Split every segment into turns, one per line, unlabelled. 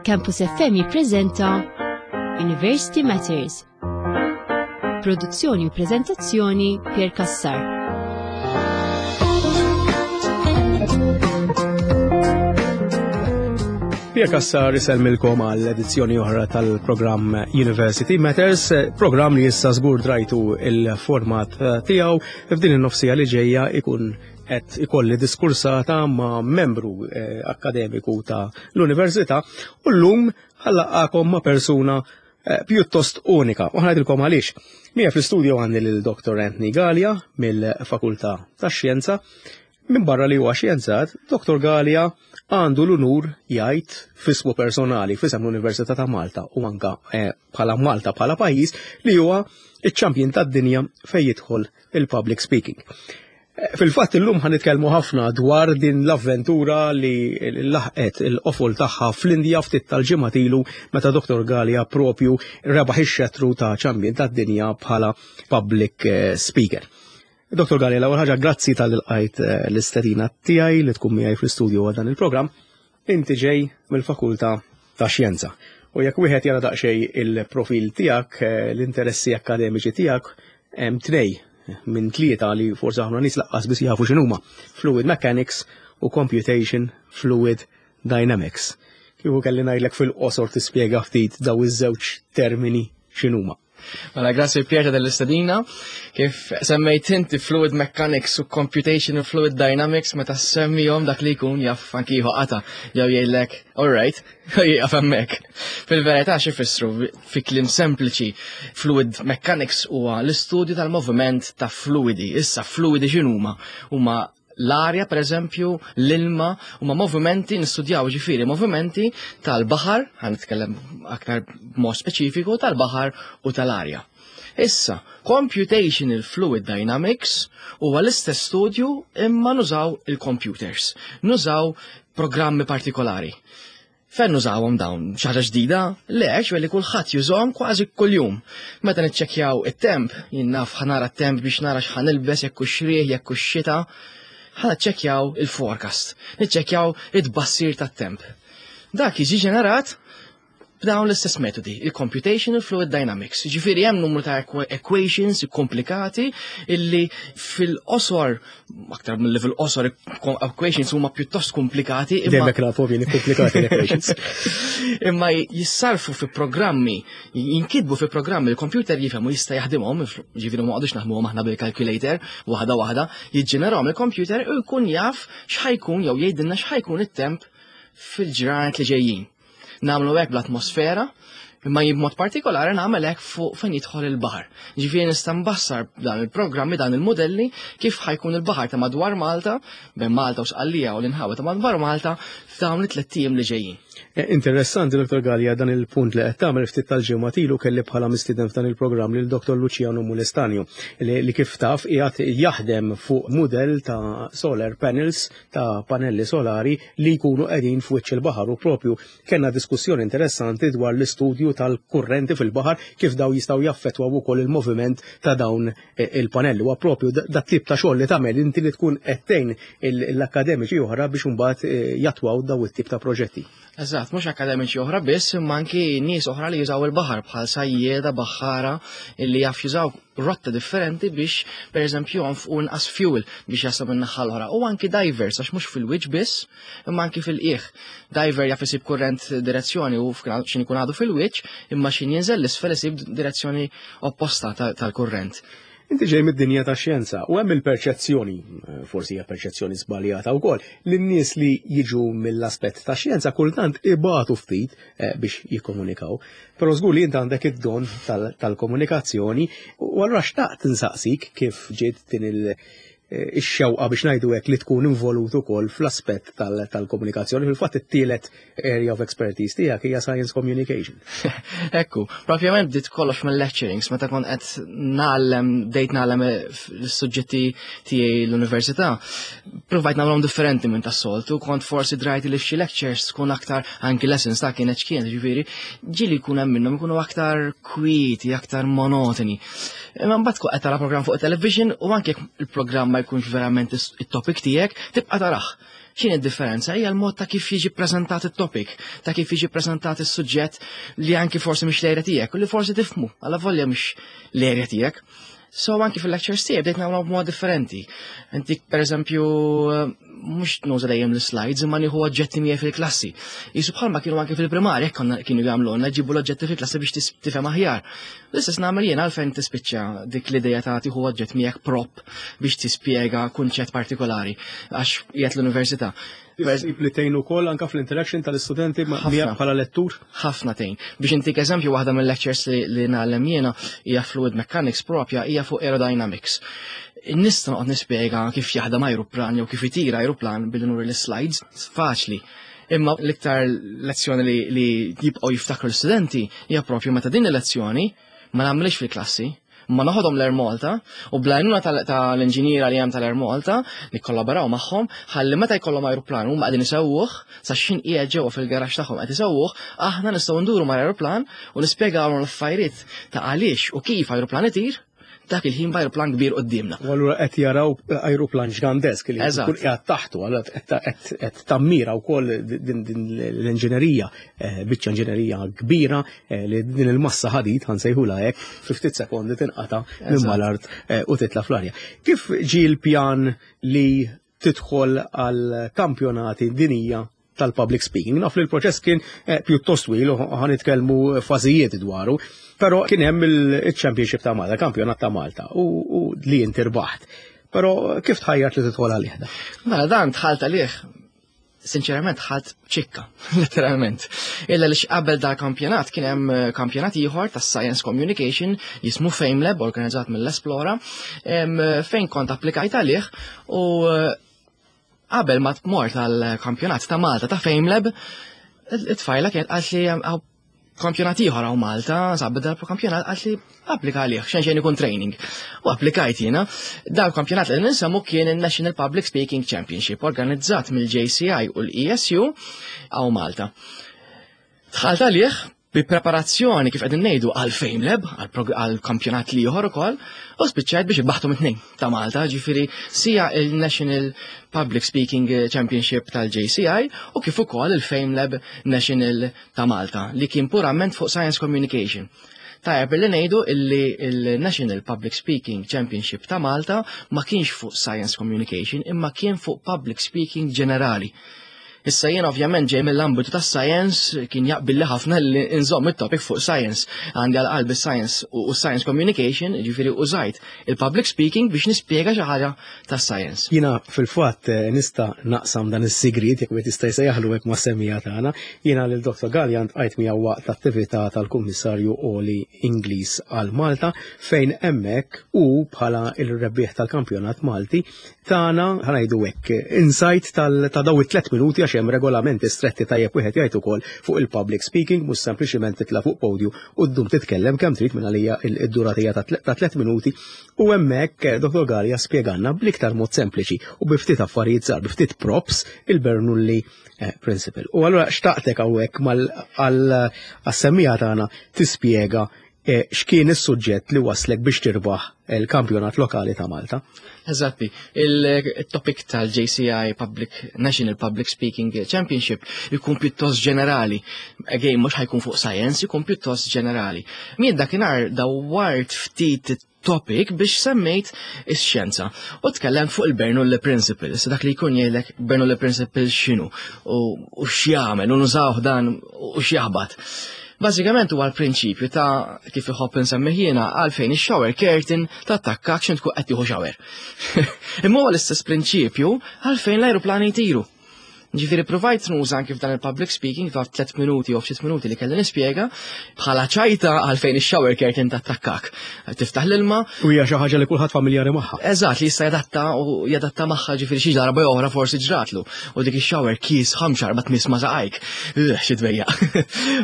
Campus FM jippreżenta University Matters. Produzzjoni u preżentazzjoni Pier Cassar.
Pier Cassar isellmilkom għal edizzjoni oħra tal-programm University Matters, programm li issa żgur drajtu il-format tiegħu f'din in-nofsija li ġejja ikun qed ikolli diskursata ma' membru eh, akademiku ta' l-università u llum ħallaqakom ma' persuna eh, pjuttost unika. U ħanajdilkom għaliex. Mija fl-istudio għandi lil Dr. Anthony Gallia mill-Fakultà tax-Xjenza. Min barra li huwa xjenzat, Dr. Gallia għandu l-unur jgħid fismu personali fisem l-Università ta' Malta u anka eh, bħala Malta bħala pajjiż li huwa iċ-champion tad-dinja fejn jidħol il-public speaking. Fil-fatt illum ħan nitkellmu ħafna dwar din l-avventura li laħqet il-qofol tagħha fl-Indja ftit tal-ġimgħat ilu meta Dr. Gallia propju rebaħ ix-xetru ta' ċambien tad-dinja bħala public eh, speaker. Dr. Gallia, l-ewwel ħaġa grazzi tal-ilqajt eh, l-istedina tiegħi li tkun miegħi fl-istudju għal dan il-programm. Inti ġej mill-Fakultà ta' Xjenza. U jekk wieħed jara daqsxejn il-profil tiegħek, eh, l-interessi akkademiċi tiegħek, hemm tnej minn tlieta li forsi ħafna nies laqqas biss jafu x'inhuma. Fluid Mechanics u Computation Fluid Dynamics. Kieku kelli ngħidlek fil-qosor tispjega ftit daw iż-żewġ termini x'inhuma.
Mela, grazzi Pier ta' dell-istedina. Kif semmejt inti Fluid Mechanics u Computational Fluid Dynamics meta semmihom dak li jkun jaf anki jieħu qata jew jgħidlek, all right, jieqaf hemmhekk. Fil-verità xi fissru fi kliem sempliċi, Fluid Mechanics huwa l-istudju tal-moviment ta' fluidi. Issa fluidi x'inhuma? Huma l-arja per eżempju, l-ilma, huma movimenti nistudjaw ġifieri movimenti tal-baħar, ħan nitkellem aktar b'mod speċifiku tal-baħar u tal-arja. Issa, Computational Fluid Dynamics huwa l-istess studju imma nużaw il-computers, nużaw programmi partikolari. Fejn nużawhom dawn? Xi ħaġa ġdida? Le, għax li kulħadd jużahom kważi kuljum. Meta niċċekkjaw it-temp, jien naf ħa nara t-temp biex nara x'ħa nilbes jekk hux riħ, jekk hux xita, ħa niċċekkjaw il-forecast, niċċekkjaw it-tbassir tat-temp. Dak jiġi ġenerat b'dawn l-istess metodi, il-computational fluid dynamics. Ġifieri hemm numru ta' equations komplikati illi fil-qosor aktar mill fil-qosor equations huma pjuttost komplikati.
Dejjem hekk nafu jien komplikati l-equations.
Imma jissarfu fi programmi, jinkitbu fi programmi, il-computer jifhem u jista' jaħdimhom, ġifieri ma qogħdux naħdmuhom aħna bil-calculator waħda waħda, jiġġenerahom il-computer u jkun jaf x'ħajkun jew jgħidilna x'ħajkun it-temp fil-ġranet li ġejjin. Nagħmlu hekk bl-atmosfera, imma jien b'mod partikolari nagħmel hekk fuq fejn jidħol il-baħar. Ġifieri nista' nbassar dan il-programmi dan il-modelli kif ħajkun il-baħar ta' madwar Malta, bejn Malta u Sqallija u l-inħawi ta' madwar Malta f'dawn it-tliet ijiem li ġejjin.
Eh, interessanti, Dr. Gallia, dan il-punt li qed tagħmel ftit tal-ġimgħa ilu kelli bħala mistieden f'dan il-programm lil Dr. Luciano Mulestanio li kif taf qiegħed jaħdem fuq mudell ta' solar panels ta' panelli solari li jkunu qegħdin f'wiċċ il-baħar u propju kellna diskussjoni interessanti dwar l-istudju tal-kurrenti fil-baħar kif daw jistgħu jaffettwaw ukoll il-moviment ta' dawn eh, il-panelli. Huwa propju dat tip ta' xogħol li tagħmel inti li tkun qed tgħin l-akkademiċi oħra biex imbagħad eh, jattwaw daw it-tip ta' proġetti.
Eżatt, mhux akkademiċi oħra biss, imma anki nies oħra li jużaw il-baħar bħal sajjieda, baħħara illi jaf jużaw rotta differenti biex pereżempju jonfqu inqas fuel biex jaslu minn naħa l-oħra. U anki divers għax mhux fil-wiċċ biss, imma anki fil-qiegħ. Diver jaf isib kurrent direzzjoni u x'in ikun għadu fil-wiċċ, imma x'in jinżel l-isfel isib direzzjoni opposta tal-kurrent.
Inti ġej mid-dinja ta' xjenza u hemm il-perċezzjoni, forsi hija perċezzjoni żbaljata wkoll, li n-nies li jiġu mill-aspett ta' xjenza kultant ibatu ftit eh, biex jikkomunikaw. Però żgur li int għandek id-don tal-komunikazzjoni u allura xtaqt insaqsik kif ġiet din il- eh, ix-xewqa biex ngħidu hekk li tkun involut ukoll fl-aspett tal-komunikazzjoni. Fil-fatt it-tielet area of expertise tiegħek hija science communication.
Ekku, propjament bdiet kollox mill-lecturings, meta kont qed nagħllem, bdejt nagħllem l-suġġetti tiegħi l-università, provajt nagħmlhom differenti minn tas-soltu, kont forsi drajt li f'xi lectures tkun aktar anki lessons ta' kienet x'kienet, ġifieri, ġieli jkun hemm minnhom ikunu aktar kwieti, aktar monotoni. Imma mbagħad tkun qed tara programm fuq television u anke jekk il-programm ma jkunx verament it-topic tiegħek, tibqa' tarah. X'inhi d-differenza? Hija l-mod ta' kif jiġi ppreżentat it-topic, ta' kif jiġi ppreżentat is-suġġett li anki forsi mhix l-area tiegħek u li forsi tifhmu, allavolja mhix l-area tiegħek. So anki fil-lectures tiegħi bdejt nagħmlu b'mod differenti. Inti pereżempju mhux nuża dejjem l-slides imma nieħu oġġetti miegħi fil-klassi. Jisu bħalma kienu anki fil-primarja konna kienu jagħmlulna ġibu l-oġġetti fil-klassi biex tifhem aħjar. L-istess nagħmel jien għalfejn tispiċċa dik l-idea ta' tieħu oġġett miegħek prop biex tispjega kunċett partikolari għax qiegħed l-università.
Issib li tgħin ukoll anke fl-interaction tal-istudenti bħala lettur?
Ħafna tgħin. Biex intik eżempju waħda mill-lectures li, li nagħlem jiena hija fluid mechanics propja hija fuq aerodynamics. Nista' noqgħod nispjega kif jaħdem ajruplan jew kif itira ajruplan billi nuri l-slides, faċli. Imma l-iktar lezzjoni li, li jibqgħu jiftakru l-istudenti hija propju meta din il-lezzjoni ma nagħmlix fil-klassi, ma noħodhom l-Air Malta u bl-għajnuna tal-inġiniera li hemm tal-Air Malta nikkollaboraw magħhom ħalli meta jkollhom ajruplan huma qegħdin isewwuh sa x'ħin qiegħed ġewwa fil-garaxx tagħhom qed isewwuh, aħna nistgħu nduru mal-ajruplan u nispjegawlhom l-affarijiet ta' għaliex u kif ajruplan itir dak il-ħin b'ajruplan kbir quddiemna.
U allura qed jaraw ajruplan ġgandesk li jkun qiegħed taħtu, allura qed tammira wkoll din l-inġinerija, eh, biċċa inġinerija kbira eh, li din il-massa ħadid ħansejħula hekk fi ftit sekondi tinqata' minn mal-art eh, u titla' fl-arja. Kif ġie l-pjan li tidħol għal kampjonati dinija tal-public speaking. Naf li l-proċess kien eh, pjuttost twil u ħanitkellmu fażijiet dwaru, però kien hemm il-Championship ta' Malta, kampjonat ta' Malta u li inti rbaħt. Però kif tħajjart li tidħol għalih da?
Mela dan dħalt għalih sinċerament ħadd ċikka, letteralment. Illa li qabel da kampjonat kien hemm eh, kampjonat ieħor tas Science Communication jismu FameLab organizzat mill-Esplora fejn kont applikajt għalih u eh, qabel ma tmort għal kampjonat ta' Malta ta' FameLab it-tfajla kienet qalt li kampjonat ieħor hawn Malta, sabba darba kampjonat qalt li applika għalih, xejn xejn ikun training. U applikajt jiena. Dal kampjonat li ninsemmu kien il-National Public Speaking Championship organizzat mill-JCI u l-ESU hawn Malta. Dħalt għalih bi preparazzjoni kif qegħdin ngħidu għal FameLab, għal kampjonat li ieħor ukoll, u spiċċajt biex irbaħtu mit-tnejn ta' Malta, ġifieri sija il-National Public Speaking Championship tal-JCI u kif ukoll il-FameLab National ta' Malta li kien purament fuq Science Communication. Tajjeb li ngħidu illi il-National Public Speaking Championship ta' Malta ma kienx fuq Science Communication imma kien fuq Public Speaking ġenerali. Issa jien ovvjament ġej mill-ambitu tas science kien jaqbilli ħafna li nżomm it-topic fuq science. Għandi għal qalbi science u science communication, ġifieri użajt il-public speaking biex nispjega xi ħaġa tas science.
Jiena fil-fatt eh, nista' naqsam dan is-sigriet jekk wieħed jista' jsejjaħlu hekk mas-semija tagħna. Jiena lil Dr. Gallian tqajt miegħu waqt l-attività tal-Kummissarju Oli Ingliż għal Malta fejn hemmhekk u bħala il-rebbieħ tal-kampjonat Malti tagħna ħanajdu hekk insight ta' daw it-tlet minuti għax hemm regolamenti stretti tajjeb wieħed jgħid ukoll fuq il-public speaking mhux sempliċiment titla' fuq podju u ddum titkellem kemm trid minn għalija id-durata ta' tlet minuti u hemmhekk eh, Dr. Gallia spjegalna bl-iktar mod sempliċi u bi ftit affarijiet żgħar, bi ftit props il-Bernoulli eh, Principle. U allura xtaqtek hawnhekk mal-semmija tagħna tispjega eh, x'kien is-suġġett li waslek biex tirbaħ il-kampjonat lokali ta' Malta.
Eżatti, il-topic tal-JCI Public National Public Speaking Championship ikun pjuttost ġenerali. Again, mhux ħajkun fuq science, ikun pjuttost ġenerali. Min dakinhar dawwart ftit topic biex semmejt ix-xjenza. U tkellem fuq il-Bernoulli Principle. Issa dak li jkun jgħidlek Bernoulli Principle x'inhu u x'jagħmel u nużawh dan u x'jaħbat. Bażikament huwa l-prinċipju ta' kif iħobb insemmih jiena għalfejn ix-shower curtain tattakkak x'int tkun qed tieħu shower. Imma huwa l-istess prinċipju għalfejn l-ajruplani jtiru. Ġifieri provajt nuża anki f'dan il-public speaking ta' 3 minuti u ftit minuti li kelli nispjega bħala ċajta għalfejn ix-shower curtain tattakkak. Tiftaħ l-ilma.
U hija xi ħaġa li kulħadd familjari magħha.
Eżatt li jista' jadatta u jadatta magħha ġifieri xi darba oħra forsi ġratlu. U dik ix-shower kies ħamxar ma tmiss ma saqajk. Xi dwejja.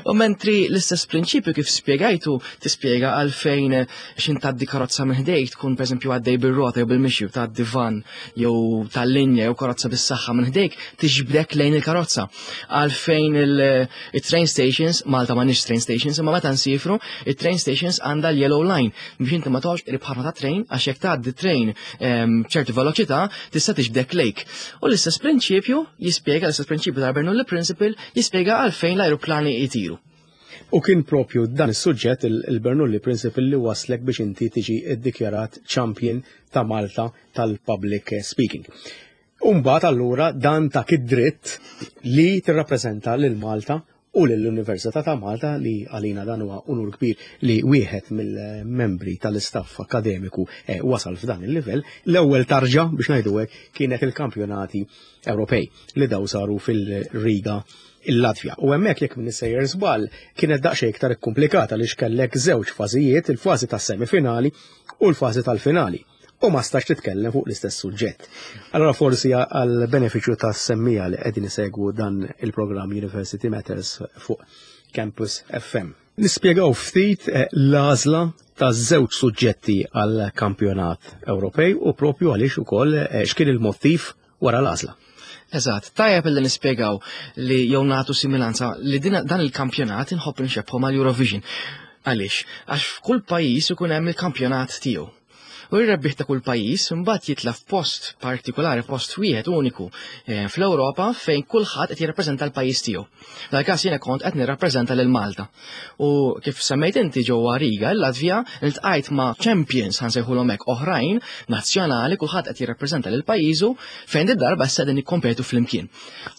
U mentri l-istess prinċipju kif spjegajtu tispjega għalfejn x'in tgħaddi karozza minn ħdejk tkun pereżempju għaddej bir-rota jew bil-mixi u tgħaddi van jew tal-linja jew karozza bis-saħħa minn ħdejk tiġbdek jiġbdek lejn il-karozza. Għalfejn il-train stations, Malta ma nix train stations, imma meta nsifru, il-train stations għandha l-yellow line biex inti ma toqgħodx qrib ħafna ta' train għax jekk tgħaddi train b'ċertu veloċità tista' tiġbdek lejk. U l-istess prinċipju jispjega l-istess prinċipju tal-Bernoulli Principle jispjega għalfejn l-ajruplani jtiru.
U kien propju dan is-suġġett il-Bernoulli Principle li waslek biex inti tiġi ddikjarat champion ta' Malta tal-public speaking. Umbagħad allura dan tak id-dritt li tirrappreżenta lil Malta u lill-Università ta' Malta li għalina dan huwa unur kbir li wieħed mill-membri tal-istaff akademiku eh, wasal f'dan il-livell. L-ewwel tarġa biex ngħidu hekk kienet il-kampjonati Ewropej li daw saru fil-Riga il-Latvja. U hemmhekk jekk minn sejjer żball kienet daqsxejn iktar ikkumplikata li xkellek żewġ fażijiet, il-fażi tas-semifinali u l-fażi tal-finali. U ma stax titkellem fuq l-istess suġġett. Allora forsi għal benefiċċju tas-semmija li qegħdin isegwu dan il-programm University Matters fuq Campus FM. Nispjegaw ftit eh, l-għażla ta' żewġ suġġetti għal kampjonat Ewropej u propju għaliex ukoll eh, x'kien il-mottiv wara l-għażla.
Eżatt, tajjeb illi nispjegaw li jew nagħtu similanza li dan il-kampjonat inħobb nxebbħu mal-Eurovision. Għaliex? Għax f'kull pajjiż ikun hemm il-kampjonat tiegħu. U r-rebbieħ ta' kull pajjiż imbagħad jitla' f'post partikolari, post wieħed uniku eh, fl-Ewropa fejn kulħadd qed jirrappreżenta l-pajjiż tiegħu. Dal-każ jiena kont qed nirrappreżenta lil Malta. U kif semmejt inti ġewwa Riga, il-Latvja, iltqajt ma' champions ħansejħulhom hekk oħrajn nazzjonali kulħadd qed jirrappreżenta lil pajjiżu fejn id-darba issa qegħdin nikkompetu flimkien.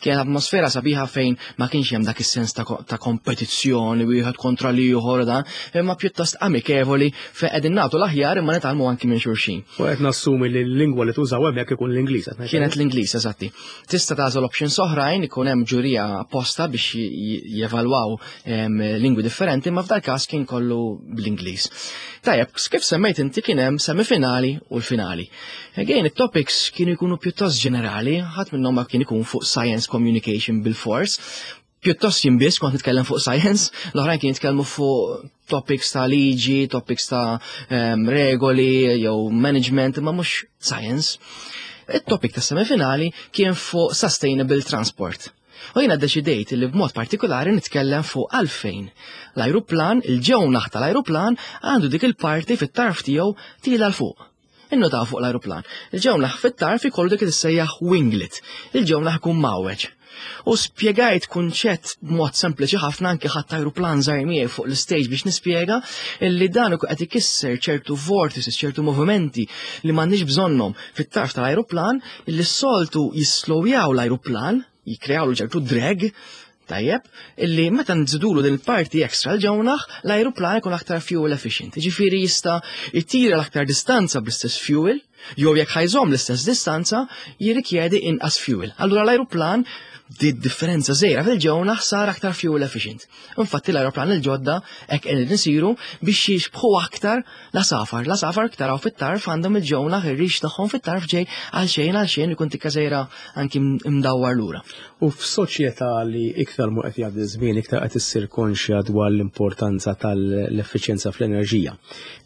Kienet atmosfera sabiħa fejn ma kienx hemm dak is-sens ta', ta kompetizzjoni wieħed kontra l-ieħor dan, imma pjuttost amikevoli fejn qegħdin nagħtu l-aħjar imma nitgħallmu anki minn xulxin.
U qed nassumi li l-lingwa li tużaw hemmhekk ikun l-Ingliż.
Kienet l-Ingliż, eżatti. Tista' tagħżel options oħrajn ikun hemm ġurija apposta biex jevalwaw lingwi differenti, ma f'dal każ kien kollu bl-Ingliż. Tajjeb, kif semmejt inti kien hemm semifinali u l-finali. Again, it-topics kienu jkunu pjuttost ġenerali, ħadd minnhom ma kien ikun fuq science communication bil-fors. Pjuttost jien biss kont nitkellem fuq science, l-oħrajn kien jitkellmu fuq topics ta' liġi, topics ta' um, regoli jew management, imma mhux science. Il-topic ta' semifinali kien fuq sustainable transport. U jiena ddeċidejt li b'mod partikolari nitkellem fuq għalfejn l-ajruplan, il-ġewnaħ tal-ajruplan għandu dik il-parti fit-tarf tiegħu tila 'l fuq. Innotaw fuq l-ajruplan. Il-ġewnaħ fit-tarf ikollu dik li tissejjaħ winglet. Il-ġewnaħ ikun mgħawweġ. U spjegajt kunċett b'mod sempliċi ħafna anki ħadd ajruplan żgħir miegħi fuq l-istage biex nispjega illi dan ikun qed ikisser ċertu vortices, ċertu movimenti li m'għandniex bżonnhom fit-tarf tal-ajruplan illi s-soltu jislowjaw l-ajruplan, jikkreawlu ċertu drag, tajjeb, illi meta nżidulu din il-parti extra l-ġewnaħ, l-ajruplan ikun aktar fuel efficient. Ġifieri jista' jtira l-aktar distanza bl-istess fuel, jew jekk ħajżomm l-istess distanza, jirrikjedi inqas fuel. Allura l-ajruplan di differenza żgħira fil-ġewnaħ sar aktar fuel efficient. Infatti l-ajruplan il-ġodda hekk qegħdin isiru biex jixbħu aktar l-għasafar. L-għasafar taraw fit-tarf għandhom il-ġewnaħ ir-rix tagħhom fit-tarf ġej għal xejn għal xejn ikun tikka żgħira anki mdawwar lura.
U f'soċjetà li iktar mu qed jgħaddi żmien iktar qed issir konxja dwar l-importanza tal-effiċjenza fl-enerġija.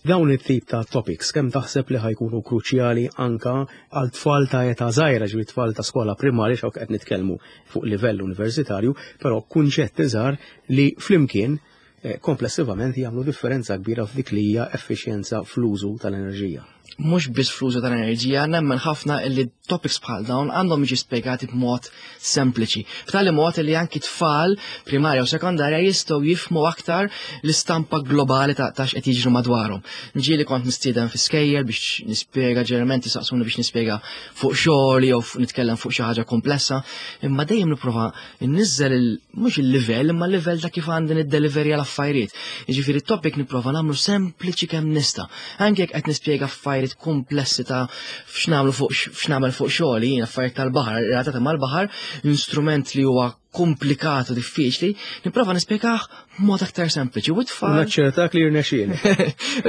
Dawn it-tip ta' topics kemm taħseb li ħajkunu kruċjali anka għal tfal ta' età żgħira, ġifieri tfal ta' skola primarja x'hawn qed nitkellmu fuq livell universitarju, però kunċetti żgħar li flimkien eh, komplessivament jagħmlu differenza kbira f'dik li hija effiċjenza fl-użu tal-enerġija.
Mhux biss fl-użu tal-enerġija, nemmen ħafna li topics bħal dawn għandhom jiġi spjegati b'mod sempliċi. B'tali mod li anki tfal primarja u sekondarja jistgħu jifhmu aktar l-istampa globali ta' x'qed jiġri madwarhom. Ġieli kont nistieden fi skejjel biex nispjega ġeneralment jisaqsuni biex nispjega fuq xogħol jew nitkellem fuq xi ħaġa komplessa, imma dejjem nipprova nniżżel mhux il-livell imma l-livell ta' kif għandi niddeliverja l-affarijiet. Jiġifieri t-topic nipprova nagħmlu sempliċi kemm nista'. Anke jekk qed nispjega affarijiet komplessi ta' x'nagħmlu fuq x'nagħmel fuq xogħli, jien affarijiet tal-baħar, relatati mal-baħar, instrument li huwa komplikat u diffiċli, nipprova nispjegah b'mod aktar sempliċi. U
t-tfal. Naċċertak li jirnexxieli.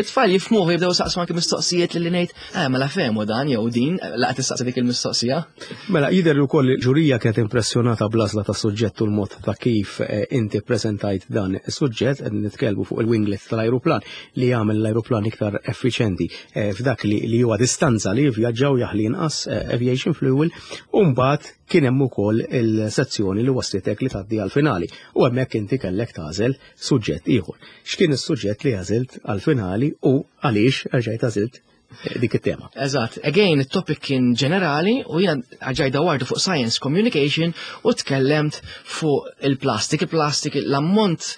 It-tfal jifhmuh jibdew saqsu anke mistoqsijiet li ngħid, eh mela fehmu dan jew din, laqgħet tistaqsi dik il-mistoqsija.
Mela jidher ukoll li ġurija kienet impressjonata bl-għażla tas-suġġett u l-mod ta' kif eh, inti ppreżentajt dan is-suġġett, qed nitkellmu fuq il-winglet tal-ajruplan li jagħmel l-ajruplan iktar effiċjenti eh, f'dak li huwa distanza li jivvjaġġaw jaħli inqas eh, aviation fuel u mbagħad. kien hemm ukoll il-sezzjoni li waslitek li tgħaddi għall-finali u hemmhekk inti kellek tagħżel suġġett ieħor. X'kien is-suġġett li għażilt għall-finali u għaliex erġajt għażilt dik it-tema?
Eżatt, again, it-topic kien ġenerali u jiena erġajt dawwartu fuq science communication u tkellemt fuq il-plastik. Il-plastik, l-ammont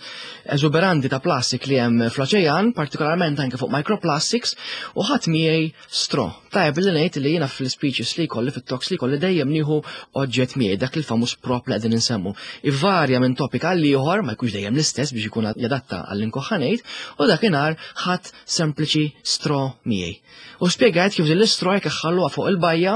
eżuberanti ta' plastik li hemm fl-oċean, partikolarment anke fuq microplastics, u ħadd miegħi straw. Tajjeb li ngħid li jiena fl-speeches li jkolli, fit-talks li jkolli dejjem nieħu oġġett miegħi, dak il-famuż prop li qegħdin insemmu. Ivarja minn topic għal ieħor, ma jkunx dejjem l-istess biex ikun jadatta għall-inkoħħa ngħid, u dakinhar ħadd sempliċi straw miegħi. U spjegajt kif din l-istraw jekk iħalluha fuq il-bajja,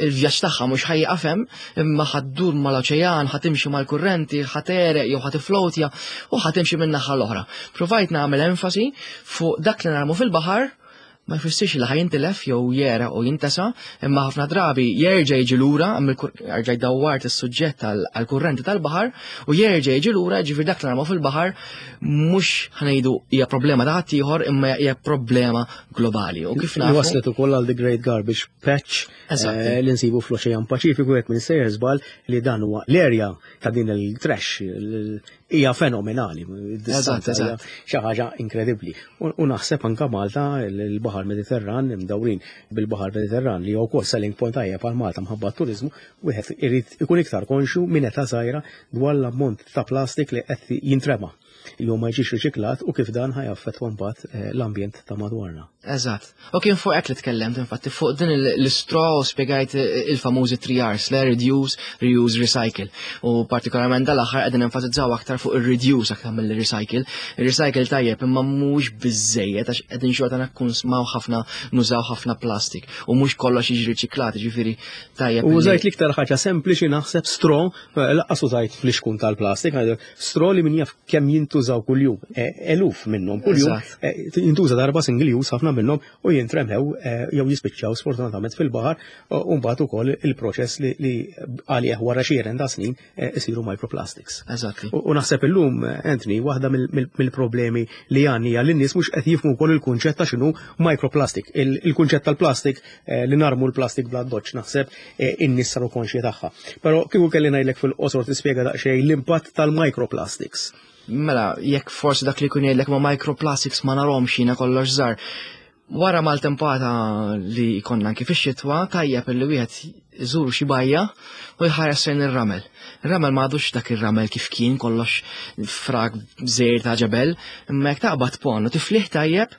il-vjaġġ tagħha mhux ħa jieqaf hemm, imma ħa ddur mal-oċean, ħa timxi mal-kurrenti, ħa tegħreq jew ħa tiflowtja u ħa timxi min-naħa l-oħra. Provajt nagħmel enfasi fuq dak li narmu fil-baħar ma jfissirx li ħa jintilef jew jegħreq u jintesa, imma ħafna drabi jerġa' jiġi lura, erġa' jdawwart is-suġġett għall-kurrenti tal-baħar u jerġa' jiġi lura, ġifieri dak li narmu fil-baħar mhux ħa ngħidu hija problema ta' ħaddieħor imma hija problema globali. U kif nafu.
Waslet ukoll għal The Great Garbage Patch li nsibu fl-Oċean Paċifiku jekk minn sejjer żball li dan huwa l-erja ta' din il-trash hija fenomenali. Eżatt, xi ħaġa inkredibbli. U naħseb anka Malta il-Baħar Mediterran imdawrin bil-Baħar Mediterran li wkoll selling point tajjeb għal Malta mħabba turiżmu, wieħed irid ikun iktar konxju minn età żgħira dwar l-ammont ta' plastik li qed jintrema jew ma jiġix riċiklat u kif dan ħa jaffettwa mbagħad l-ambjent ta' madwarna.
Eżatt. U kien fuq hekk li tkellemt, infatti, fuq din l-istraw spjegajt il-famużi 3 R's, le reduce, reuse, recycle. U partikolarment dal-aħħar qegħdin enfasizzaw aktar fuq ir-reduce aktar mill-recycle. Ir-recycle tajjeb imma mhux biżejjed għax qegħdin xorta nakkunsmaw ħafna, nużaw ħafna plastik u mhux kollox jiġi riċiklat, ġifieri tajjeb.
U użajt l-iktar ħaġa sempliċi naħseb straw, laqqas użajt fl-ixkun tal-plastik, straw li min jaf kemm jintużaw kuljum, eluf minnhom kuljum, jintuża darba single use ħafna minnhom u jintremhew jew jispiċċaw sfortunatament fil-baħar u mbagħad ukoll il-proċess li għalih wara xi ta' snin isiru microplastics.
Eżatt.
U naħseb illum, Anthony, waħda mill-problemi li għandni hija li n-nies mhux qed jifhmu wkoll il-kunċett ta' x'inhu microplastic. Il-kunċett tal-plastik li narmu l-plastik bla doċ naħseb in-nies saru konxji tagħha. Però kieku kelli ngħidlek fil-qosor tispjega daqsxejn l-impatt tal-microplastics.
Mela, jekk forsi dak li jkun jgħidlek ma microplastics ma narhomx jiena kollox żgħar. Wara maltempata li konna anki fix-xitwa, tajjeb li wieħed iżur xi bajja u jħares lejn ir-ramel. Ir-ramel ma għadux dak ir-ramel kif kien kollox frak żejr ta' ġebel, imma jekk taqbad pon u tiflih tajjeb,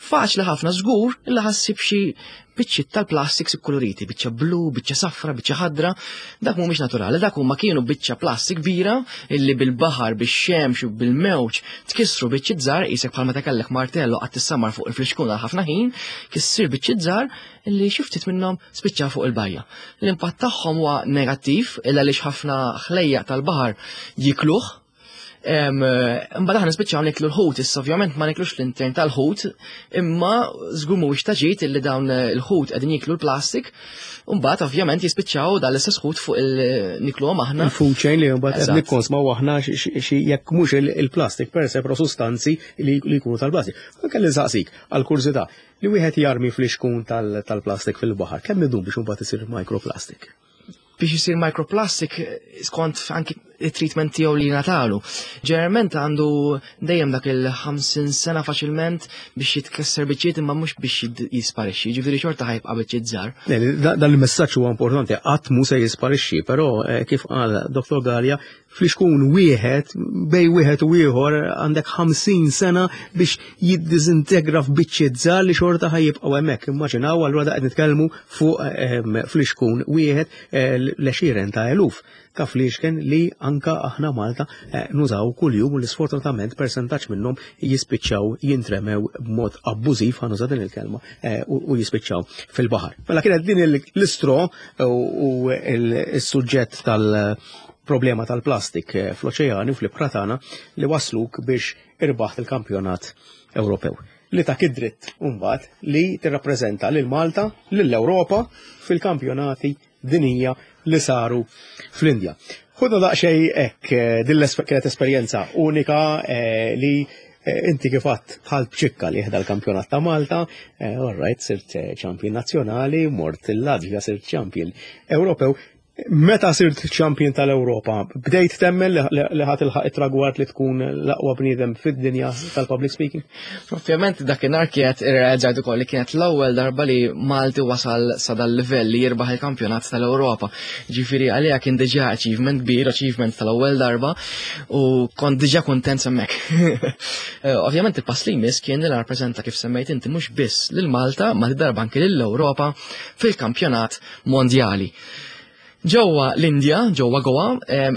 faċli ħafna żgur illa ħassib xi biċċiet tal-plastics ikkuluriti, biċċa blu, biċċa safra, biċċa ħadra, dak mhumiex naturali, dak huma kienu biċċa plastik kbira illi bil-baħar, bix-xemx u bil-mewġ tkissru biċċiet żgħar qisek bħal meta kellek martello qatt tissamar fuq il-flixkun għal ħafna ħin, kissir biċċiet żgħar illi xi ftit minnhom spiċċaw fuq il-bajja. L-impatt tagħhom huwa negattiv illa għaliex ħafna ħlejjaq tal-baħar jikluh. Imbagħad aħna nispiċċaw niklu l-ħut, issa ovvjament ma niklux l-intern tal-ħut, imma żgur mhuwiex ta' ġid illi dawn il-ħut qegħdin jiklu l-plastik, u mbagħad ovvjament jispiċċaw dan l-istess ħut fuq il-nikluhom aħna.
Il-food chain li mbagħad qed nikkonsmaw aħna xi jekk mhux il-plastik per se, però sustanzi li jkunu tal-plastik. Kelli nsaqsik għall-kurżità, li wieħed jarmi flixkun tal-plastik fil-baħar, kemm idum biex imbagħad isir microplastic?
Biex isir microplastic skont anki it-treatment tiegħu li natalu. Ġeneralment għandu dejjem dak il-50 sena faċilment biex jitkisser biċċiet imma mhux biex jisparixxi, ġifieri xorta ħajbqa' biċċiet żgħar.
Dan il-messaġġ huwa importanti, qatt mhu se jisparixxi, però kif qal Dr. Galea, flixkun wieħed bej wieħed u ieħor għandek 50 sena biex jiddiżintegra f'biċċiet żgħar li xorta ħa jibqgħu hemmhekk. Immaġinaw allura da qed nitkellmu fuq flixkun wieħed l-għexieren ta' eluf ta' fliexken li anka aħna Malta nużaw kuljum u li sfortunatament persentaġġ minnhom jispiċċaw jintremew b'mod abbużiv, ħa nuża din il-kelma, u jispiċċaw fil-baħar. Mela kienet din l-istro u s-suġġett tal-problema tal-plastik fl-oċeani u fl-ibħra tagħna li wasluk biex irbaħt il-kampjonat Ewropew. Li tak id-dritt mbagħad li tirrappreżenta lil Malta, lill-Ewropa fil-kampjonati dinija li saru fl-Indja. Ħudna daqsxejn hekk din kienet esperjenza unika li inti kif għadt bħal bċikka li ħda l-kampjonat ta' Malta, all right, sirt champion nazzjonali, mort il-Latvja sirt champion Ewropew. Meta sirt champion tal-Ewropa, bdejt temmen li ħa tilħaq it-tragward li tkun l-aqwa bniedem fid-dinja tal-public speaking?
Ovvjament dakinhar kienet irrealizzajt ukoll li kienet l-ewwel darba li Malti wasal sa dal-livell li jirbaħ il-kampjonat tal-Ewropa. Ġifieri għalija kien diġà achievement kbir, achievement tal-ewwel darba u kont diġà kuntent hemmhekk. Eh, ovvjament il-pass li jmiss kien li rappreżenta kif semmejt inti mhux biss lil Malta, ma darba anke lill-Ewropa fil-kampjonat mondjali. Ġewwa l-Indja, ġewwa Goa,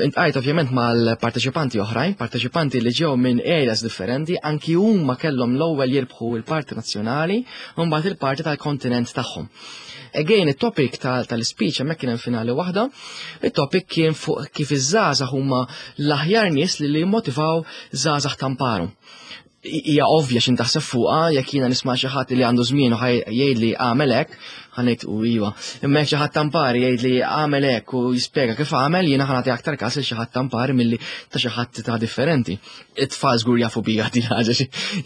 intqajt ovvjament mal-parteċipanti oħrajn, parteċipanti li ġew minn areas differenti, anki huma kellhom l-ewwel jirbħu l-parti nazzjonali u mbagħad il-parti tal-kontinent tagħhom. Again, it-topic tal-speech hemmhekk kien hemm finali waħda, it-topic kien fuq kif iż-żgħażagħ huma l-aħjar nies li jimmotivaw żgħażagħ tamparu hija ovvja x'in taħseb fuqha jekk jiena nisma' xi ħadd li għandu żmien u jgħidli għamel hekk, ħa ngħid u iva. Imma jekk xi ħadd tampari jgħidli għamel hekk u jispjega kif għamel, jiena ħa nagħti aktar każ lil xi ħadd tampari milli ta' xi ħadd ta' differenti. It-tfal żgur jafu bija din ħaġa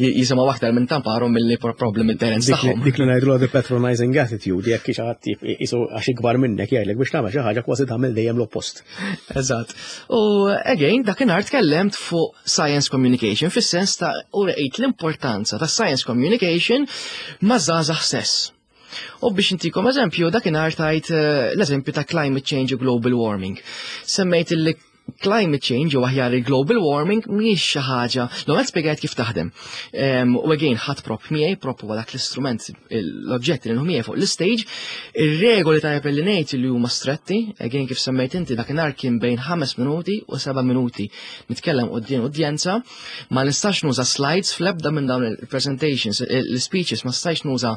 jisimgħu aktar minn tamparhom milli problem il-parents tagħhom.
Dik li ngħidlu the patronizing attitude, jekk xi ħadd jisu għax ikbar minnek jgħidlek biex tagħmel xi ħaġa kważi tagħmel dejjem l-oppost.
Eżatt. U again, dakinhar tkellemt fuq science communication fis-sens ta' u rejt l-importanza ta' science communication ma' żgħażagħ stess. U biex intikom eżempju, dakinhar tajt eh, l-eżempju ta' climate change u global warming. Semmejt li climate change u aħjar il-global warming mhijiex xi ħaġa. L-ewwel spjegajt kif taħdem. U again ħadd prop miegħi, prop huwa dak l-istrument l-oġġetti li miegħi fuq l-istage, ir-regoli ta' li ngħid li huma stretti, again kif semmejt inti dakinhar kien bejn 5 minuti u 7 minuti nitkellem quddiem udjenza, ma nistax nuża slides fl-ebda minn dawn il-presentations, l-speeches ma stajx nuża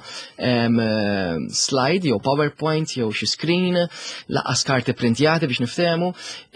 slide jew PowerPoint jew xi screen, laqas karti printjati biex niftehmu,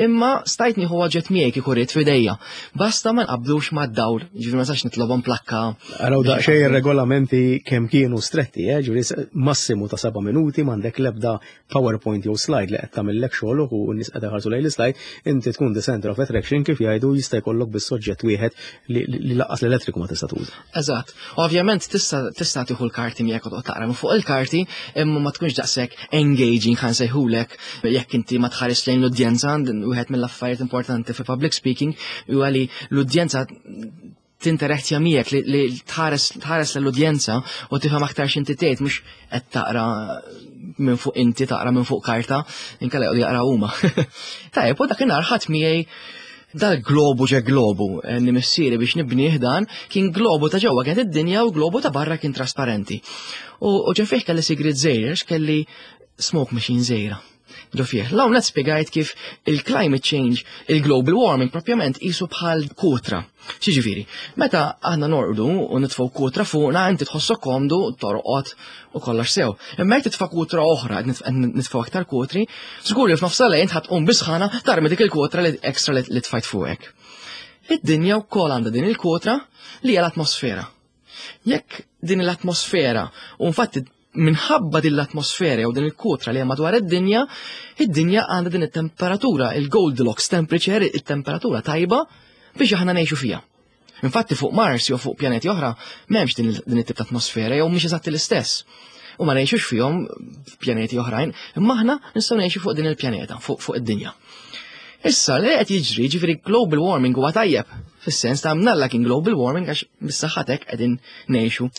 imma stajt nieħu oġġett miegħi kieku rrid f'idejja. Basta ma nqabdux mad-dawl, ġifieri ma nistax nitlobhom plakka.
Araw daqsxejn ir-regolamenti kemm kienu stretti, eh, ġifieri massimu ta' seba' minuti m'għandek l-ebda PowerPoint jew slide li qed tagħmillek xogħol u n-nies qed iħarsu lejn l-slide, inti tkun the center of attraction kif jgħidu jista' jkollok biss soġġett wieħed li laqqas l-elettriku ma tista' tuża.
Eżatt. Ovvjament tista' tista' tieħu l-karti miegħek u toqgħod taqra minn fuq il-karti, imma ma tkunx daqshekk engaging ħa nsejħulek jekk inti ma tħares lejn l-udjenza, wieħed mill-affarijiet importanti fi public speaking huwa li l-udjenza tinterattja miegħek li tħares tħares l-udjenza u tifhem aktar x'inti tgħid mhux qed taqra minn fuq inti taqra minn fuq karta inkella jqogħdu jaqra huma. Tajjeb, u dakinhar ħadd miegħi dal-globu ġe globu eh, li missieri biex nibnieh dan kien globu ta' ġewwa kienet id-dinja u globu ta' barra kien trasparenti. U ġe fih kelli sigriet żgħir kelli smoke machine żgħira. Ġo fih. L-hawn qed spjegajt kif il-climate change, il-global warming propjament qisu bħal kutra. Xiġifieri, meta aħna norqdu u nitfgħu kutra fuqna inti tħossok komdu, torqod u kollox sew. Imma jekk titfa' kutra oħra, qed nitfgħu aktar kutri, żgur li f'nofs lejn ħadd tqum bisħana tarmi dik il-kutra li ekstra li tfajt fuqek. Id-dinja wkoll għandha din il-kutra li hija l-atmosfera. Jekk din l-atmosfera, u infatti minħabba din l-atmosfera jew din il-kutra li hemm madwar id-dinja, id-dinja għandha din it-temperatura, il-Goldilocks temperature, it-temperatura tajba biex aħna ngħixu fiha. Infatti fuq Mars jew fuq pjaneti oħra m'hemmx din it-tip ta' atmosfera jew mhix eżatti l-istess. U ma ngħixux fihom f'pjaneti oħrajn, imma aħna nistgħu ngħixu fuq din il-pjaneta, fuq, fuq id-dinja. Issa li qed jiġri ġifieri global warming huwa tajjeb, fis-sens ta' mnalla kien global warming għax bis-saħħatek qegħdin ngħixu.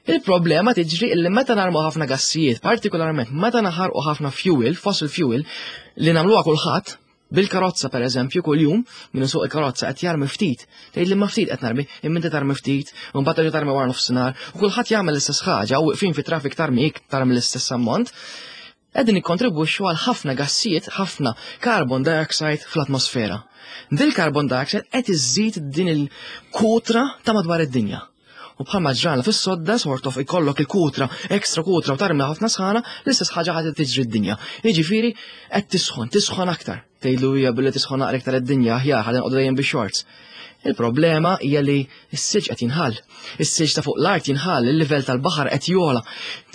Il-problema tiġri illi meta narmu ħafna gassijiet, partikolarment meta naħarqu ħafna fuel, fossil fuel, li nagħmluha kulħadd, bil-karozza per eżempju kuljum, min isuq il-karozza qed jarmi ftit, tgħid li ma ftit qed narmi, imma inti tarmi ftit, u mbagħad terġa' tarmi wara nofsinhar, u kulħadd jagħmel l-istess ħaġa u wieqfin fit-traffic tarmi iktar mill-istess ammont, qegħdin nikkontribwixxu għal ħafna gassijiet, ħafna carbon dioxide fl-atmosfera. Dil carbon dioxide qed iżżid din il-kutra ta' madwar id-dinja. U bħalma ġralna fis-sodda sort of ikollok il-kutra, ekstra kutra u tarmi ħafna sħana, l-istess ħaġa ħadd tiġri d-dinja. Jiġifieri qed tisħon, tisħon aktar. Tgħidlu hija billi tisħon naqra iktar id-dinja aħjar ħalli nqogħdu dejjem bix-shorts. Il-problema hija li s-silġ qed jinħall. Is-silġ ta' fuq l-art jinħall, il-livell tal-baħar qed jogħla.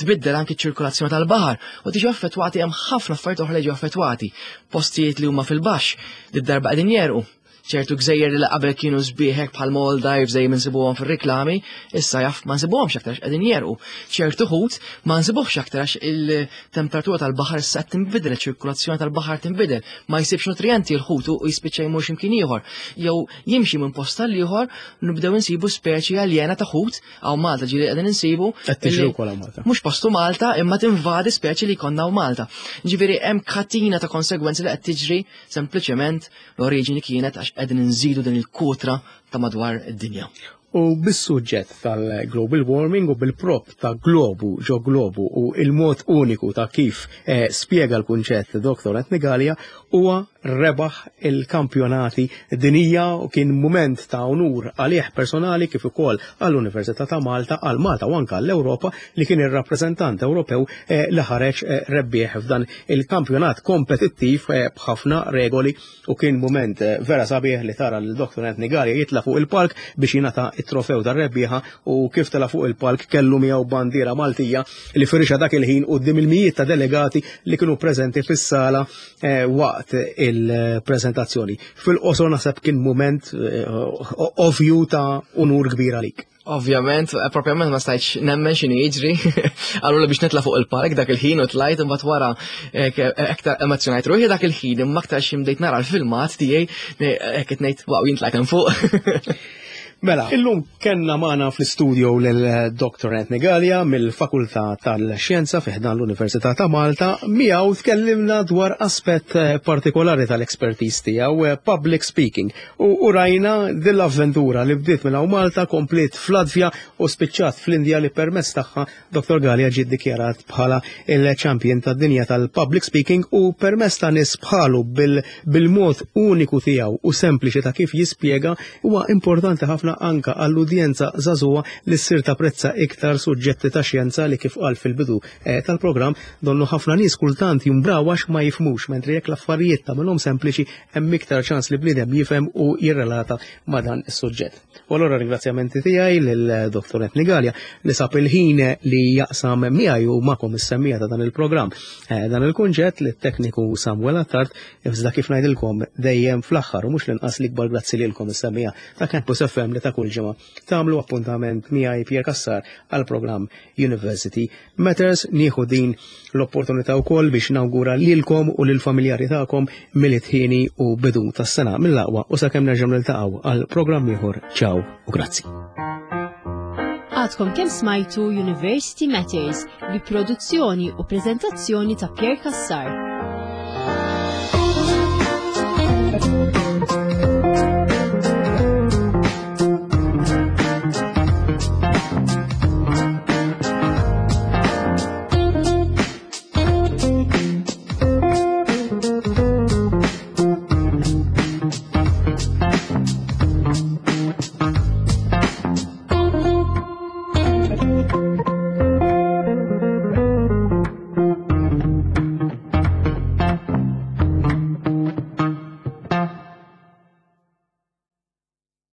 Tbiddel anki ċ-ċirkolazzjoni tal-baħar u tiġi affettwati hemm ħafna affarijiet oħra li jiġu affettwati. Postijiet li huma fil-baxx li d-darba qegħdin jerqu. Ċertu gżejjer li qabel kienu sbieħek bħal Maldives dejjem insibuhom fir-riklami, issa jaf ma nsibuhomx aktar qegħdin jerqu. Ċertu ħut ma nsibuhx aktar għax il-temperatura tal-baħar issa qed tinbidel, ċirkulazzjoni tal-baħar tinbidel, ma jsibx nutrijenti l-ħut u jispiċċa jmur x'imkien ieħor. Jew jimxi minn post għal ieħor nibdew insibu speċi aljena ta' ħut hawn Malta ġieli qegħdin insibu.
Qed tiġri wkoll hawn Malta.
Mhux postu Malta imma tinvadi speċi li jkollna hawn Malta. Ġifieri hemm katina ta' konsegwenzi li qed tiġri sempliċement l-oriġini kienet għax qegħdin inżidu din il-kutra ta' madwar id-dinja.
U bis-suġġett tal-global warming u bil-prop ta' globu ġo globu u il-mod uniku ta' kif eh, spjega l-kunċett Dr. Anthony Gallia huwa rebaħ il-kampjonati dinija u kien mument ta' unur għalih personali kif ukoll għall-Università ta' Malta, għal Malta u anke għall-Ewropa li kien ir-rappreżentant Ewropew eh, li ħareġ eh, rebbieħ f'dan il-kampjonat kompetittiv eh, b'ħafna regoli u kien mument eh, vera sabiħ li tara lil Dr. Anthony Gallia jitla fuq il-palk biex jingħata it-trofew tar-rebbieħa u kif tela fuq il-palk kellu miegħu bandiera Maltija li firixa dak il-ħin quddiem il-mijiet ta' delegati li kienu preżenti fis-sala eh, waqt il-preżentazzjoni. Fil-qosor naħseb kien mument ovvju ta' unur kbir għalik.
Ovvjament, eh, propjament ma stajtx nemmen x'inhi jiġri. Allura biex nitla' fuq il-park dak il-ħin u tlajt imbagħad wara eh, eh, aktar emozjonajt ruħi dak il-ħin imma aktar xi bdejt nara l-filmat tiegħi hekk qed ngħid wow jien tlajt hemm fuq.
Mela, illum kenna magħna fl-istudio lil Dr. Anthony Gallia mill-Fakultà tal-Xjenza fi ħdan l-Università ta' Malta, miegħu tkellimna dwar aspett partikolari tal-expertise tiegħu, public speaking. U rajna din l-avventura li bdiet minn hawn Malta, kompliet fl-Latvja u spiċċat fl-Indja li permezz tagħha Dr. Galea ġie ddikjarat bħala il-champion tad-dinja tal-public speaking u permezz ta' nies bħalu bil-mod uniku tiegħu u sempliċi ta' kif jispjega huwa importanti ħafna anka għall-udjenza żagħżugħa li ssir tapprezza iktar suġġetti ta' xjenza li kif qal fil-bidu eh, tal-programm donnu ħafna nies kultant jumbraw għax ma jifhmux mentri jekk l-affarijiet tagħmilhom sempliċi hemm iktar ċans li bniedem jifhem u jirrelata ma' dan is-suġġett. U allura ringrazzjamenti tiegħi lil Dr. Anthony Gallia li sab il-ħin li jaqsam miegħi u magħkom is-semmija ta' dan il-programm. Eh, dan il-kunġett li t-tekniku Samuel Attard iżda kif ngħidilkom dejjem fl-aħħar u mhux l-inqas l-ikbar grazzi lilkom is-semmija ta' Campus FM li ta' kull ġimgħa tagħmlu appuntament miegħi Pierre Cassar għall-programm University Matters. Nieħu din l-opportunità wkoll biex nawgura lilkom u lill-familjari tagħkom Milied ħieni u bidu tas-sena mill-aqwa u sakemm nerġgħu niltaqgħu għal programm ieħor. Ciao u grazzi.
Għadkom kemm smajtu University Matters bi produzzjoni u preżentazzjoni ta' Pierre Cassar.